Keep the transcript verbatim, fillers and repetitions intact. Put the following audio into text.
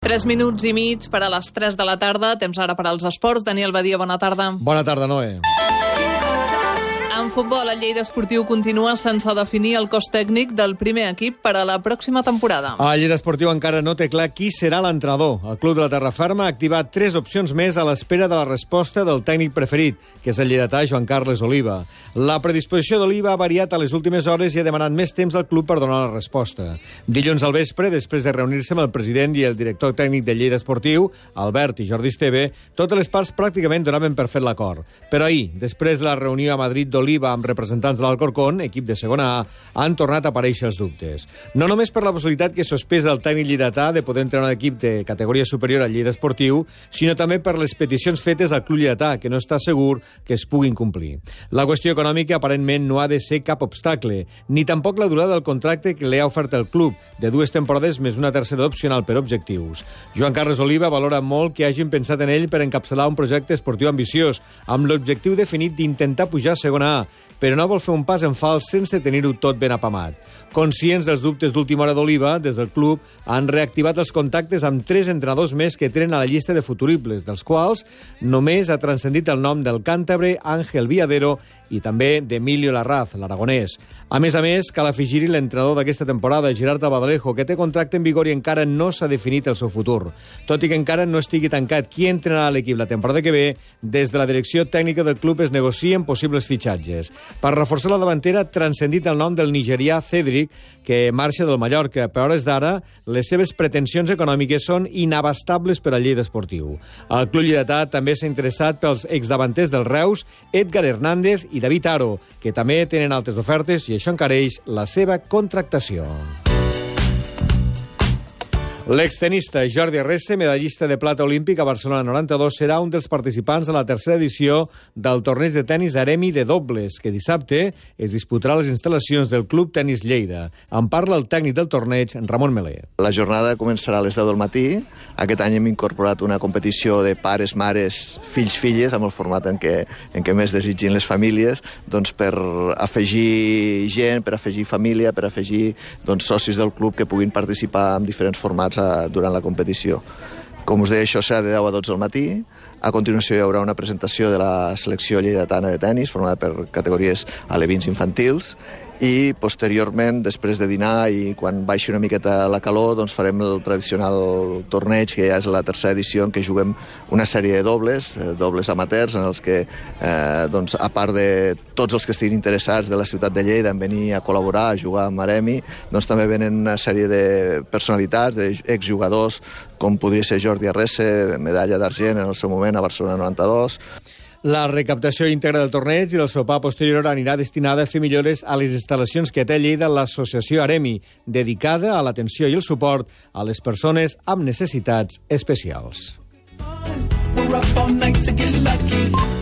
Tres minuts i mig per a les tres de la tarda. Temps ara per als esports. Daniel Badia, bona tarda. Bona tarda, Noé. En futbol, el Lleida Esportiu continua sense definir el cos tècnic del primer equip per a la pròxima temporada. El Lleida Esportiu encara no té clar qui serà l'entrenador. El club de la Terraferma ha activat tres opcions més a l'espera de la resposta del tècnic preferit, que és el lleidatà Joan Carles Oliva. La predisposició d'Oliva ha variat a les últimes hores i ha demanat més temps al club per donar la resposta. Dilluns al vespre, després de reunir-se amb el president i el director tècnic del Lleida Esportiu, Albert i Jordi Esteve, totes les parts pràcticament donaven per fet l'acord. Però ahir, després de la reunió a Madrid d'Oliva amb representants de l'Alcorcón, equip de segona A, han tornat a aparèixer els dubtes. No només per la possibilitat que sospesa el tècnic lleidatà de poder entrenar un equip de categoria superior al Lleida Esportiu, sinó també per les peticions fetes al club lleidatà, que no està segur que es puguin complir. La qüestió econòmica aparentment no ha de ser cap obstacle, ni tampoc la durada del contracte que li ha ofert el club, de dues temporades més una tercera opcional per objectius. Joan Carles Oliva valora molt que hagin pensat en ell per encapçalar un projecte esportiu ambiciós, amb l'objectiu definit d'intentar pujar a segona A, però no vol fer un pas en fals sense tenir-ho tot ben apamat. Conscients dels dubtes d'última hora d'Oliva, des del club han reactivat els contactes amb tres entrenadors més que tenen a la llista de futuribles, dels quals només ha transcendit el nom del càntabre Ángel Viadero i també d'Emilio Larraz, l'aragonès. A més a més, cal afegir-hi l'entrenador d'aquesta temporada, Gerard Abadalejo, que té contracte en vigor i encara no s'ha definit el seu futur. Tot i que encara no estigui tancat qui entrenarà l'equip la temporada que ve, des de la direcció tècnica del club es negocien possibles fitxatges. Per reforçar la davantera, transcendit el nom del nigerià Cedric, que marxa del Mallorca. Per hores d'ara, les seves pretensions econòmiques són inabastables per al Lleida Esportiu. El club lleidatà també s'ha interessat pels exdavanters del Reus, Edgar Hernández i David Aro, que també tenen altres ofertes i això encareix la seva contractació. L'extenista Jordi Arrese, medallista de plata olímpic a Barcelona noranta-dos, serà un dels participants de la tercera edició del torneig de tenis Aremi de dobles, que dissabte es disputarà a les instal·lacions del Club Tenis Lleida. En parla el tècnic del torneig, Ramon Melé. La jornada començarà a les deu del matí. Aquest any hem incorporat una competició de pares, mares, fills, filles, amb el format en què, en què més desitgin les famílies, doncs per afegir gent, per afegir família, per afegir doncs, socis del club que puguin participar en diferents formats durant la competició. Com us deia, això serà de deu a dotze del matí. A continuació hi haurà una presentació de la selecció lleidatana de tenis, formada per categories alevins infantils, i posteriorment, després de dinar i quan baixi una miqueta la calor, doncs farem el tradicional torneig, que ja és la tercera edició, en què juguem una sèrie de dobles, dobles amateurs, en els que, eh, doncs, a part de tots els que estiguin interessats de la ciutat de Lleida en venir a col·laborar, a jugar amb Aremi, doncs també venen una sèrie de personalitats, d'exjugadors, com podria ser Jordi Arrese, medalla d'argent en el seu moment a Barcelona noranta-dos. La recaptació íntegra del torneig i del sopar posterior anirà destinada a fer millores a les instal·lacions que té a Lleida l'associació Aremi, dedicada a l'atenció i el suport a les persones amb necessitats especials. We're up all night to get lucky.